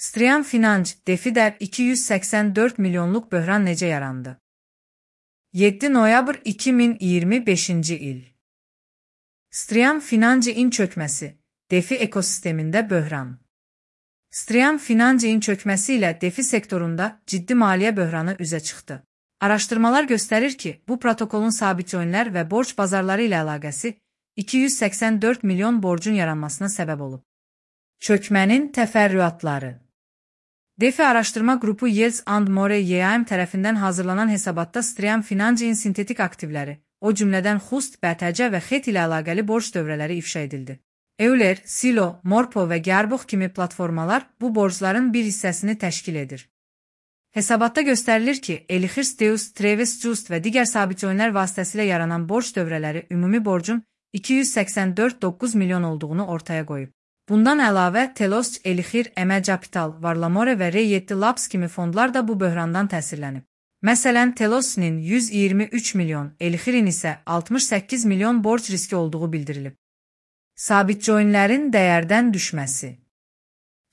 Striam Financ, DeFi'də 284 milyonluq böhran necə yarandı? 7 noyabr 2025-ci il. Striam Financ'in çökməsi, DeFi ekosistemində böhran. Striam Financ'in çökməsi ilə DeFi sektorunda ciddi maliyyə böhranı üzə çıxdı. Araşdırmalar göstərir ki, bu protokolun sabit coinlər və borc bazarları ilə əlaqəsi 284 milyon borcun yaranmasına səbəb olub. Çökmənin təfərrüatları. DeFi araşdırma qrupu Yields and More YAM tərəfindən hazırlanan hesabatda Striam Financ'in sintetik aktivləri, o cümlədən Xust, BTC və XET ilə əlaqəli borc dövrələri ifşa edildi. Euler, Silo, Morpo və Gearbux kimi platformalar bu borcların bir hissəsini təşkil edir. Hesabatda göstərilir ki, Elixir Deus, Travis Just və digər sabit coinlər vasitəsilə yaranan borc dövrələri ümumi borcun 284,9 milyon olduğunu ortaya qoyub. Bundan əlavə, Telos, Elixir, Emə Capital, Varlamore və Ray7 Labs kimi fondlar da bu böhrandan təsirlənib. Məsələn, Telos'nin 123 milyon, Elixirin isə 68 milyon borc riski olduğu bildirilib. Sabit coinlərin dəyərdən düşməsi.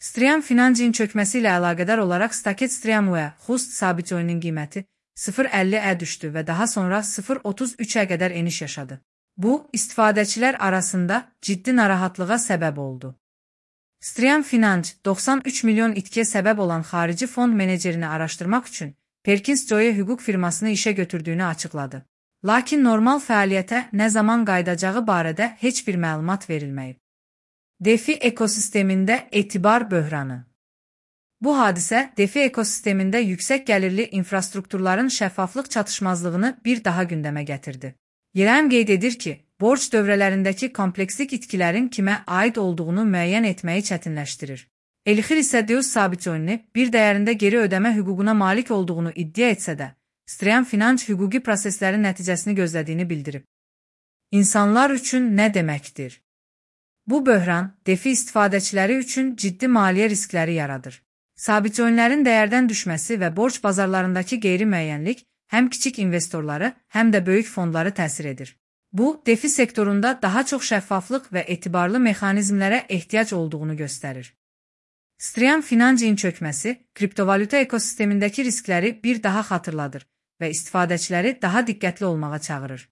Striam Financ'in çökməsi ilə əlaqədar olaraq Staket Striam və Xust sabit coininin qiyməti 0.50-ə düşdü və daha sonra 0.33-ə qədər eniş yaşadı. Bu, istifadəçilər arasında ciddi narahatlığa səbəb oldu. Striam Financ, 93 milyon itkiyə səbəb olan xarici fond menecerini araşdırmaq üçün Perkins Coie hüquq firmasını işə götürdüyünü açıqladı. Lakin normal fəaliyyətə nə zaman qayıdacağı barədə heç bir məlumat verilməyib. DeFi ekosistemində etibar böhranı. Bu hadisə DeFi ekosistemində yüksək gəlirli infrastrukturların şəffaflıq çatışmazlığını bir daha gündəmə gətirdi. YAM qeyd edir ki, borc dövrələrindəki komplekslik itkilərin kimə aid olduğunu müəyyən etməyi çətinləşdirir. Elixir isə Deus sabit coinini bir dəyərində geri ödəmə hüququna malik olduğunu iddia etsə də, Striam Financ hüquqi proseslərin nəticəsini gözlədiyini bildirib. İnsanlar üçün nə deməkdir? Bu böhran, DeFi istifadəçiləri üçün ciddi maliyyə riskləri yaradır. Sabit coinlərin dəyərdən düşməsi və borc bazarlarındakı qeyri-müəyyənlik həm kiçik investorları, həm də böyük fondları təsir edir. Bu, DeFi sektorunda daha çox şəffaflıq və etibarlı mexanizmlərə ehtiyac olduğunu göstərir. Striam Financ'in çökməsi, kriptovalyuta ekosistemindəki riskləri bir daha xatırladır və istifadəçiləri daha diqqətli olmağa çağırır.